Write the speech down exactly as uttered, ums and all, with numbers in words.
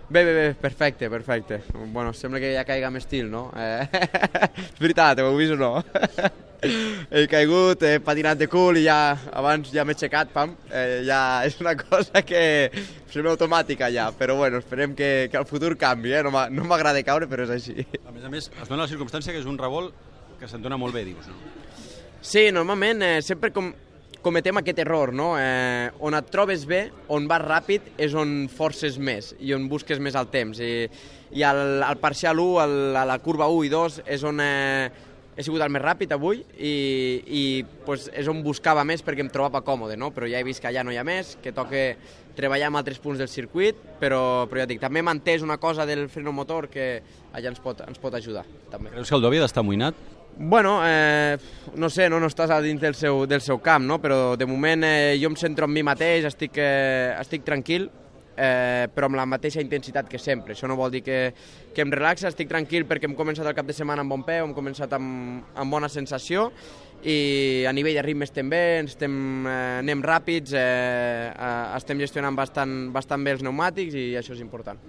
Bé, bé, bé, perfecte, perfecte. Bueno, sembla que ja caiga amb estil, no? Eh... és veritat, ho heu vist o no? He caigut, he patinat de cul i ja, abans ja m'he aixecat, pam. Eh, ja és una cosa que sembla automàtica ja, però bueno, esperem que, que al futur canvi, eh? No m'agrada caure, però és així. A més a més, es dona la circumstància que és un revolt que se't dona molt bé, dius, no? Sí, normalment eh, sempre com, cometem aquest error, no? Eh, on et trobes bé, on vas ràpid, és on forces més i on busques més el temps. I, i al, al parcial u, al, a la curva u i dos, és on eh, he sigut el més ràpid avui i, i pues, és on buscava més perquè em trobava còmode, no? Però ja he vist que allà no hi ha més, que toca treballar en altres punts del circuit, però, però ja dic, també m'ha entès una cosa del freno motor que allà ens pot, ens pot ajudar. També. Creus que el Dobby ha d'estar amoïnat? Bueno, eh, no sé, no, no estàs a dins del seu, del seu camp, no? Però de moment eh, jo em centro en mi mateix, estic, eh, estic tranquil, eh, però amb la mateixa intensitat que sempre. Això no vol dir que, que em relaxa, estic tranquil perquè hem començat el cap de setmana amb bon peu, hem començat amb, amb bona sensació i a nivell de ritme estem bé, estem, eh, anem ràpids, eh, eh, estem gestionant bastant, bastant bé els pneumàtics i això és important.